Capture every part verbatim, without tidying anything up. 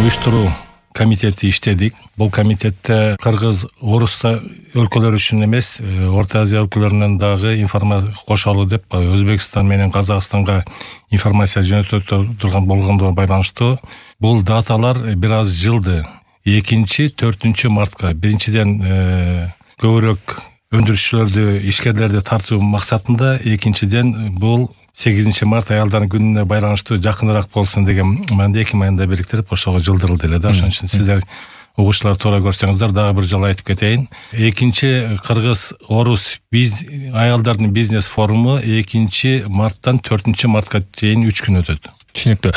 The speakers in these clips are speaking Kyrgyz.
уюштуруу комитети иштедик. Бул комитетте кыргыз, орус өлкөлөр үчүн эмес, Орто Азия өлкөлөрүнөн дагы информация кошолу деп Өзбекстан менен Казакстанга информация жөнөтө турган болгондо байланыштуу. Бул даталар бир аз жылды. экинчи төртүнчү мартка биринчиден көбүрөөк өндүрүшчүлөрдү, ишкерлерди тартуу максатында, экинчиден бул сегизинчи март аялдардын күнүнө байланыштуу жакыныраак болсун деген маанайда эки маанайда бириктирип ошого жылдырылды эле да. Ошон үчүн сиздер угуучулар туура көрсөңүздөр, дагы бир жолу айтып кетейин. Экинчи кыргыз орус аялдардын бизнес форуму экинчи марттан төртүнчү мартка чейин үч күн өтөт. Түшүнүктүү.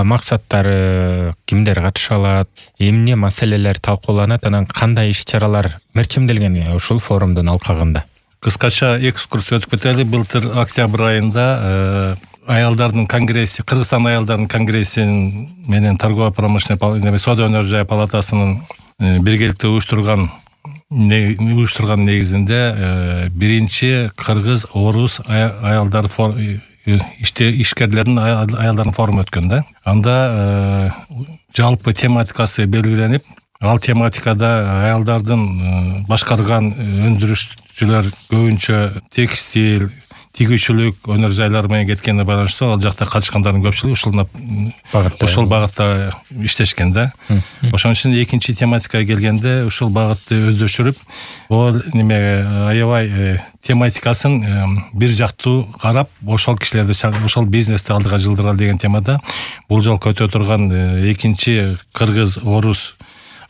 Максаттары, кимдер катыша алат, эмне маселелер талкууланат, анан кандай иш-чаралар мерчимделген ушул форумдун алкагында? Кыскача экскурс өтүп кетели. Былтыр октябрь айында аялдардын конгресси, Кыргызстан аялдардын конгресси менен торгово-промышленный соода өнөр жай палатасынын биргеликте уюштурган уюштурган негизинде биринчи кыргыз орус аялдар иште ишкерлердин аялдардын форуму өткөн да. Анда жалпы тематикасы белгиленип, ал тематикада аялдардын башкарган өндүрүшчүлөр көбүнчө текстиль, тигүүчүлүк өнөр жайлары менен кеткенине байланыштуу ал жакта катышкандардын көпчүлүгү ушул багытта ушул багытта иштешкен да. Ошон үчүн экинчи тематикага келгенде ушул багытты өздөштүрүп, бул неме аябай тематикасын бир жактуу карап, ошол кишилерди, ошол бизнести алдыга жылдыралы деген темада бул жолку өтө турган экинчи кыргыз орус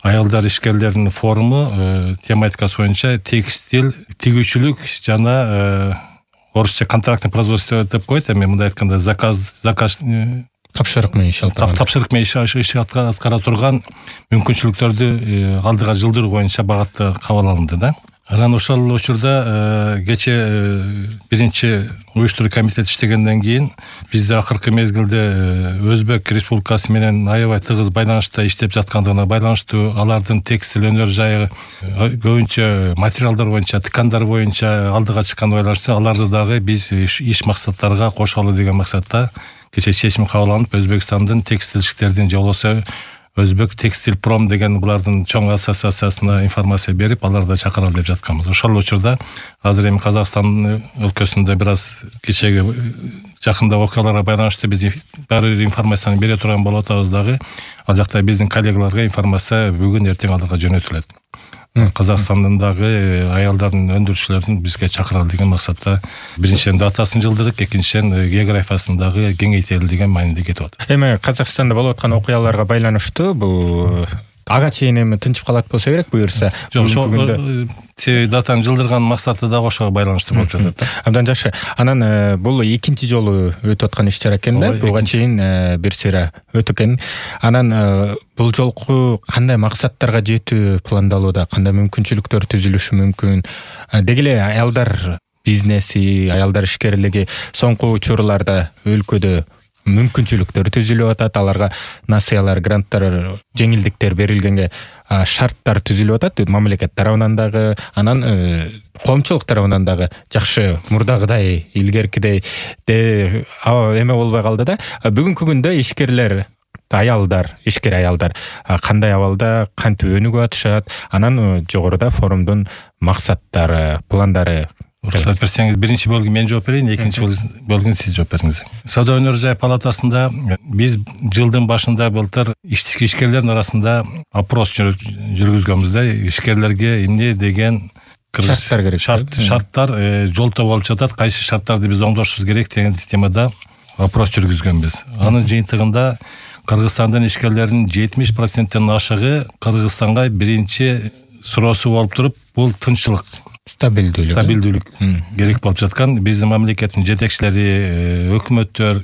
аялдар ишкерлеринин форуму тематикасы боюнча текстиль, тигүүчүлүк жана орусча контрактный производство деп коет, эми мындай айтканда заказ заказ тапшырык менен иш алып тапшырык менен иш аткара турган мүмкүнчүлүктөрдү алдыга жылдыруу боюнча багытта кабыл алынды да. Анан ошол учурда кече биринчи уюштуруу комитет иштегенден кийин бизде акыркы мезгилде Өзбек Республикасы менен аябай тыгыз байланышта иштеп жаткандыгына байланыштуу, алардын текстиль өнөр жайы көбүнчө материалдар боюнча, ткандар боюнча алдыга чыкканына байланыштуу аларды дагы биз иш максаттарга кошолу деген максатта кече чечим кабыл алынып, Өзбекстандын текстильщиктердин же болбосо Өзбек текстиль пром деген булардын чоң ассоциациясына информация берип, аларды чакыралы деп жатканбыз. Ошол учурда азыр эми Казакстан өлкөсүндө бир аз кечеги жакында окуяларга байланыштуу биз баары бир информацияны бере турган болуп атабыз дагы. Ал жакта биздин коллегаларга информация бүгүн эртең аларга жөнөтүлөт. Казакстандын дагы аялдардын өндүрүшчүлөрүн бизге чакыралы деген максатта биринчиден датасын жылдырдык, экинчиден географиясын дагы кеңейтели деген маанайда кетип атат. Эми Казакстанда болуп аткан окуяларга байланыштуу бул ага чейин эми тынчып калат болсо керек, буюрса. Жок, ошол датаны жылдырган максаты дагы ошого байланыштуу болуп жатат. Абдан жакшы. Анан бул экинчи жолу өтүп аткан иш-чара экен да, буга чейин бир сыйра өтүп экен. Анан бул жолку кандай максаттарга жетүү пландалууда, кандай мүмкүнчүлүктөр түзүлүшү мүмкүн? Деги эле аялдар бизнеси, аялдар ишкерлиги соңку учурларда өлкөдө мүмкүнчүлүктөр түзүлүп атат, аларга насыялар, гранттар, жеңилдиктер берилгенге шарттар түзүлүп атат, мамлекет тарабынан дагы, анан коомчулук тарабынан дагы жакшы мурдагыдай, илгеркидей эме болбой калды да. Бүгүнкү күндө ишкерлер, аялдар, ишкер аялдар кандай абалда, кантип өнүгүп атышат, анан жогоруда форумдун максаттары, пландары. Уруксат берсеңиз, биринчи бөлүгү мен жооп берейин, экинчи бөлүгүн сиз жооп бериңиз. Соода өнөр жай палатасында биз жылдын башында былтыр ишкерлердин арасында опрос жүргүзгөнбүз да, ишкерлерге эмне деген шарттар керек, шарттар жолтоо болуп жатат, кайсы шарттарды биз оңдошубуз керек деген темада опрос жүргүзгөнбүз. Анын жыйынтыгында Кыргызстандын ишкерлеринин жетимиш проценттен ашыгы Кыргызстанга биринчи суроосу болуп туруп, бул тынччылык, стабилдүүлүк стабилдүүлүк керек болуп жаткан. Биздин мамлекеттин жетекчилери, өкмөттөр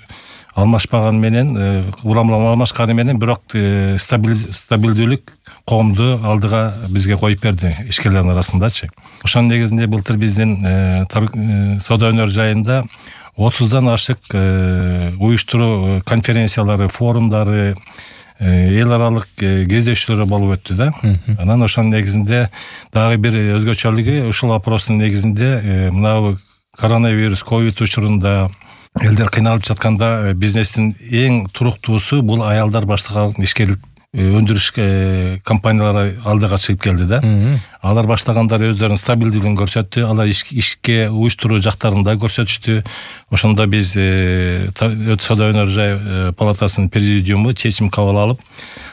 алмашпаган менен, уламлама алмашканы менен, бирок стабилдүүлүк коомду алдыга бизге коюп берди ишкерлердин арасындачы. Ошонун негизинде былтыр биздин соода өнөр жайында отуздан ашык уюштуруу конференциялары, форумдары, эл аралык кездешүүлөр болуп өттү да. Анан ошонун негизинде дагы бир өзгөчөлүгү, ушул опростун негизинде мына коронавирус, ковид учурунда элдер кыйналып жатканда бизнестин эң туруктуусу бул аялдар баштаган ишкерлик өндүрүш компаниялары алдыга чыгып келди да. Алар баштагандар өздөрүнүн стабилдүүлүгүн көрсөттү, алар ишке уюштуруу жактарын да көрсөтүштү. Ошондо биз соода өнөр жай палатасынын президиуму чечим кабыл алып,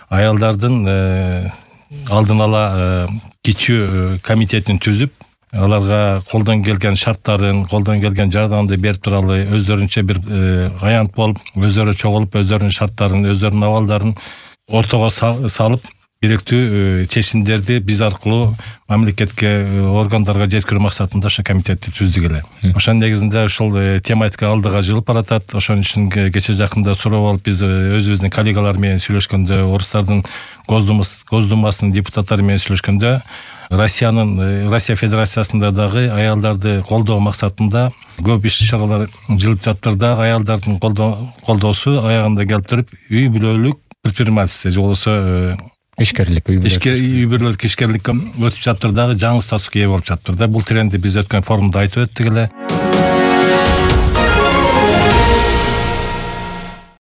аялдардын алдын ала кичүү комитетин түзүп, аларга колдон келген шарттарын, колдон келген жардамды берип туралы өздөрүнчө бир аянт болуп, өздөрү чогулуп, өздөрүнүн шарттарын, өздөрүнүн абалдарын ортого салып, керектүү чечимдерди биз аркылуу мамлекетке, органдарга жеткирүү максатында ошо комитетти түздүк эле. Ошонун негизинде ушул тематика алдыга жылып баратат. Ошон үчүн кече жакында суроо болуп, биз өзүбүздүн коллегалар менен сүйлөшкөндө, Орустардын Госдумасынын депутаттары менен сүйлөшкөндө, Россиянын Россия Федерациясында дагы аялдарды колдоо максатында көп иш-чаралар жылып жатыр да, аялдардын колдоосу аягында келип туруп, үй бүлөлүк предпринимательство же болбосо ишкерлик, үй бүлөлүк ишкерлик өтүп жатыр дагы, жаңы статуска ээ болуп жатыр да. Бул трендди биз өткөн форумда айтып өттүк эле.